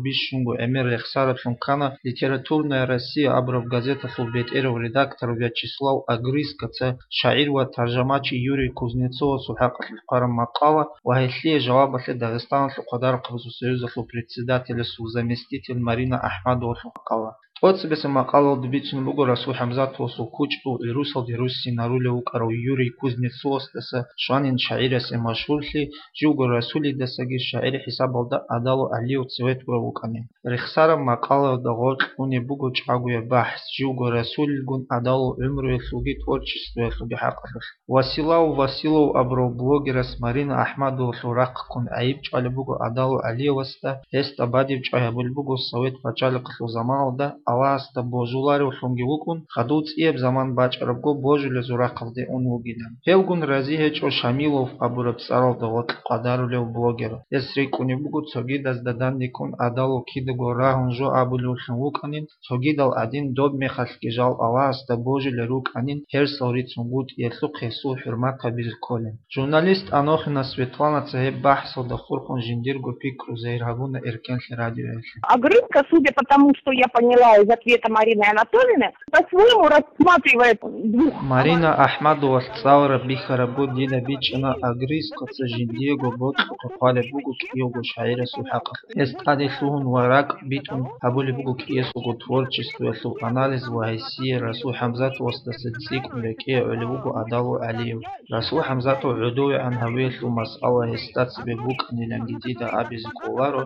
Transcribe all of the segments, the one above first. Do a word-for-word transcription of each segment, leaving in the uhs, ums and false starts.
бищунго гӀемер рехсараблъун ккана «Литературная Россия» абураб газеталъул бетӀерав редактор Вячеслав Огрызкоца шагӀир ва таржамачи Юрий Кузнецовасул хӀакъалъулъ хъвараб макъала ва гьелъие жавабалъе Дагъистаналъул хъвадарахъабазул союзалъул председателасул заместитель Марина АхӀмадовалъул макъала. ТӀоцебесеб макъалаялда бицун буго Расул ХӀамзатовасул кучӀдул гӀурусалде руссинарулев вукӀарав Юрий Кузнецовасдаса щванин шагӀирасе машгьурлъи, живго Расулидасаги шагӀир хӀисабалда Адалов ГӀалиев цеве тӀурав вукӀанин. Рехсараб макъалаялда гъоркь унеб буго чӀагояб бахӀс живго Расулилгун Адалов гӀумруялъулги творчествоялъулги хӀакъалъулъ. Василав Василов абурав блогерас Марина АхӀмадовалъул рахъ ккун гӀайиб чӀвалеб буго Адалов ГӀалиевасда, гьесда бадиб чӀвай гьабулеб буго Совет пачалихъалъул заманалда Аллагьасда божуларевлъунги вукӀун, хадув цӀияб заман бачӀарабго божилезул рахъалде ун вугилан. Гьевгун рази гьечӀо Шамилов абураб цӀаралда гъоркь къвадарулев блогер. Гьес рикӀкӀунеб буго цогидазда данде ккун Адалов кидаго рагьун жо абулевлъун вукӀанин, цогидал гӀадин доб мехалъги жал Аллагьасда божилел рукӀанин гьерсал рицунгутӀиялъухъ гьесул хӀурмат гьабизе кколин. Журналист Анохина Светланаца гьеб бахӀсалда хурхун жиндирго пикру загьир гьабуна Эркенлъи радиоялъе. Огрызко, судя по тому, что я поняла из ответа Марины Анатольевны, по-своему рассматривает двух. Марина АхӀмадовалъ цӀалараб бихьарабго дида бичӀчӀана Огрызкоца жиндиего бокьухъе хъвалеб буго кӀиявго шагӀирасул хӀакъалъулъ. Гьес тӀаде лъугьун ва ракӀ битӀун гьабулеб буго кӀиясулго творчествоялъул анализ ва гьесие Расул ХӀамзатовасдаса цӀикӀкӀун рекӀее гӀолеб буго Адалов ГӀалиев. Расул ХӀамзатов гӀодовегӀан гьавиялъул масъала гьесда цебе букӀаниланги дида абизе кӀоларо,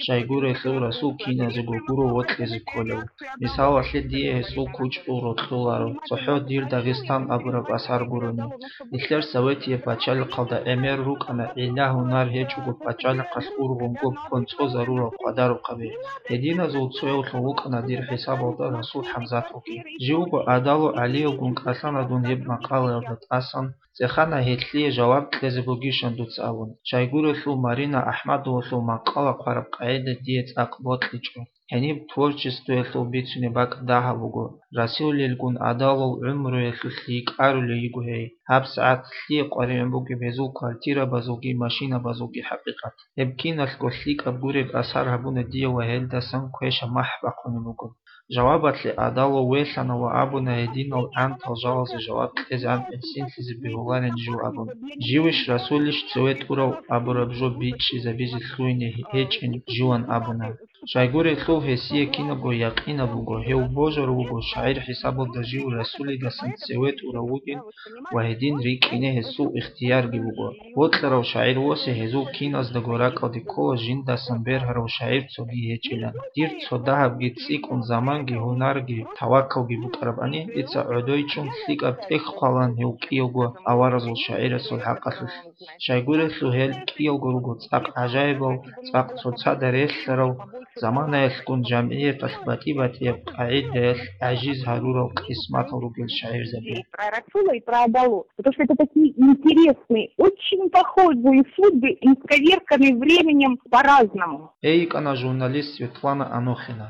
щайгурелъул Расул киназего гуро вокьизе кколев. Мисалалъе, дие гьесул кучӀдул рокьуларо, цохӀо «Дир Дагъистан» абураб асар гурони. Нилъер Советияб пачалихъалда гӀемер рукӀана гӀилла-гьунар гьечӀого пачалихъалъ ургъун гоб хъонцӀозарурал къвадарухъаби. Гьединазул цоявлъун вукӀана дир хӀисабалда Расул ХӀамзатовги. Живго Адалов ГӀалиевгун кӀалъана дун гьеб макъалаялда тӀасан, цӀехана гьелъие жаваб кьезе бугищан дуца абун. Щайгурелъул Марина АхӀмадовалъул макъала хъвараб къагӀида дие цӀакъ бокьичӀо. Гьениб творчествоялъул бицунеб бакӀ дагьаб буго. Расулилгун Адаловал гӀумруялъулъ йикӀарулей йиго гьей. ГьабсагӀат лъие къваригӀун бугеб гьезул квартирабазулги машинабазулги хӀакъикъат. Гьеб киналъго лъикӀаб гуреб асар гьабуна дие ва гьелдасан квеша махӀ бахъунеб буго. Жавабалъе Адалов велъана ва абуна гьединал гӀантал жалазе жаваб кьезегӀан гӀисинлъизе бегьуларин жив абун. Живищ Расулищ цеве тӀурав абураб жо бичӀчӀизабизе лъугьине гьечӀин живан абуна. Щайгурелъул гьесие кинабго якъинаб буго, гьев божар вуго, шагӀир хӀисабалда жив Расулидасан цеве тӀурав вугин ва гьедин рикӀкӀине гьесул ихтиярги буго. Бокьарав шагӀир восе гьезул киназдаго ракӀалде ккола жиндасан бергьарав шагӀир цоги гьечӀилан. Дир цо дагьабги цӀикӀкӀун заманги гьунарги тавакалги букӀарабани, дица гӀодойчӀун лъикӀаб тӀехь хъвалан гьев кӀиявго аваразул шагӀирасул хӀакъалъулъ. Щайгурелъул гьел кӀиялго руго цӀакъ гӀажаибал, цӀакъ цоцазда релълъарал, заманаялъгун жамгӀияталъ батӀи-батӀияб къагӀидаялъ гӀажиз гьарурал къисматал ругел шагӀирзаби. Про Расула и про Адалу, потому что это такие интересные, очень похожие судьбы, исковерканные временем по-разному. Гьей йикӀана журналист Светлана Анохина.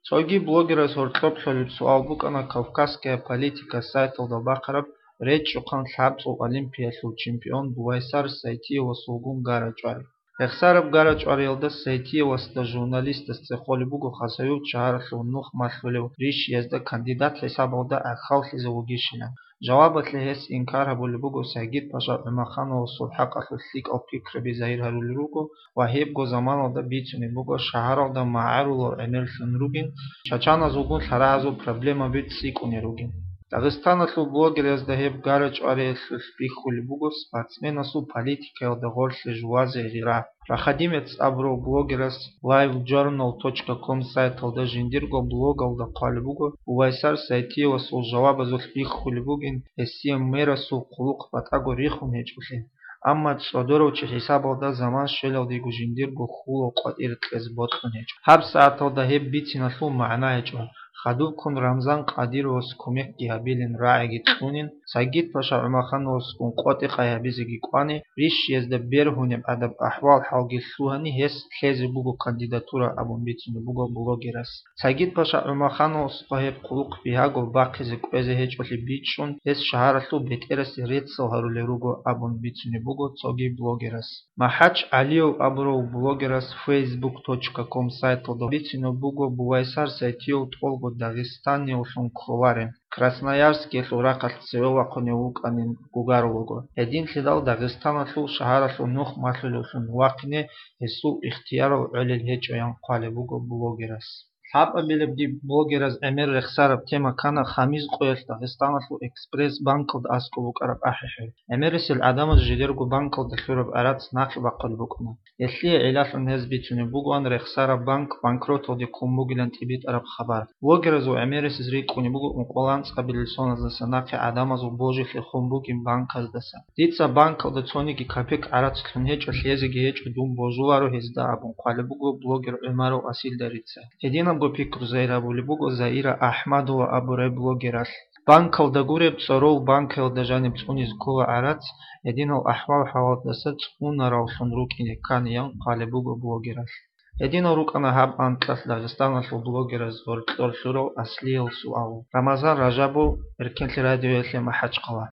Цоги блогерас гьоркьоб лъолеб суал букӀана «Кавказская политика» сайталда бахъараб речӀчӀухъан лъабцӀул олимпиялъул чемпион Бувайсар Сайтиевасулгун гара-чӀвари. Рехсараб гара-чӀвариялда Сайтиевасда журналистас цӀехолеб буго Хасавюрт шагьаралъув нух малъулев ришиязда кандидат хӀисабалда гӀахьаллъизе вугищилан. Жавабалъе гьес инкар гьабулеб буго Сагид-паша ГӀумахановасул хӀакъалъулъ лъикӀал пикраби загьир гьарулел руго ва гьебго заманалда бицунеб буго шагьаралда магӀарулал гӀемерлъун ругин, чачаназулгун лъарагӀазул проблемаби цӀикӀкӀунел ругин. Дагъистаналъул блогерзда гьеб гара-чӀвариялъулъ бихьулеб буго спортсменасул политикаялда гъорлъе жувазе гъира. Проходимец абурав блогерас live journal точка com сайталда жиндирго блогалда хъвалеб буго, Увайсар Сайтиевасул жавабазулъ бихьулеб бугин, гьесие мерасул хъулухъ батӀаго рихун гьечӀолъи. Амма цӀодорав чи хӀисабалда заман щвелалдего жиндирго хьулал къватӀир кьезе бокьун гьечӀо. ГьабсагӀаталда гьеб бициналъул магӀна гьечӀо. Хадубккун Рамзан Къадировас кумекги гьабилин, рагӀиги кьунин, Сагид-паша ГӀумахановасгун къотӀи-къай гьабизеги кӀвани, рищиязда бергьунеб гӀадаб ахӀвал-хӀалги лъугьани, гьес лъезе буго кандидатура абун бицунеб буго блогерас. Сагид-паша ГӀумахановасухъа гьеб хъулухъ бигьаго бахъизе кӀвезе гьечӀолъи бичӀчӀун, гьес шагьаралъул бетӀерасде реццал гьарулел руго абун бицунеб буго цоги блогерас. МахӀач ГӀалиев абурав блогерас фейсбук точка ком сайталда бицунеб буго Бувайсар Сайтиев тӀолго дагъистаниявлъун кколарин, Красноярскиялъул рахъалъ цеве вахъунев вукӀанин гугарулаго. Гьединлъидал Дагъистаналъул шагьаралъул нух малъулевлъун вахъине гьесул ихтиярал гӀолел гьечӀоян хъвалеб буго блогерас. Лъабабилебги блогераз гӀемер рехсараб тема ккана хамиз къоялъ Дагъистаналъул Экспресс банкалда аскӀоб букӀараб ахӀи-хӀи. ГӀемерисел гӀадамаз жидерго банкалда лъураб гӀарац нахъе бахъулеб букӀана. Гьелъие гӀиллалъун гьез бицунеб бугоан рехсараб банк банкроталде ккун бугилан тӀибитӀараб хабар. Блогераз ва гӀемерисез рикӀкӀунеб буго ункъоялда анцӀабилел соназдаса нахъе гӀадамазул божилъи хун бугин банказдаса. Дица банкалда цониги копек гӀарац лъун гьечӀо, лъезеги гьечӀо, дун божуларо гьезда абун хъвалеб буго блогер ГӀумаров Асилдарица. Гьединабго пикру зайрабулеб буго Заира АхӀмадова абурай блогералъ. Банкалда гуреб цӀорол банкаялда жаниб цӀунизе ккола гӀарац, гьединал ахӀвал-хӀалалдаса цӀунаравлъун рукӀине кканиян хъвалеб буго блогералъ. Гьединал рукӀана гьаб анкьалъ Дагъистаналъул блогераз гъоркьор лъурал аслиял суал. Рамазан Ражабов, Эркенлъи радиоялъе, МахӀачхъала.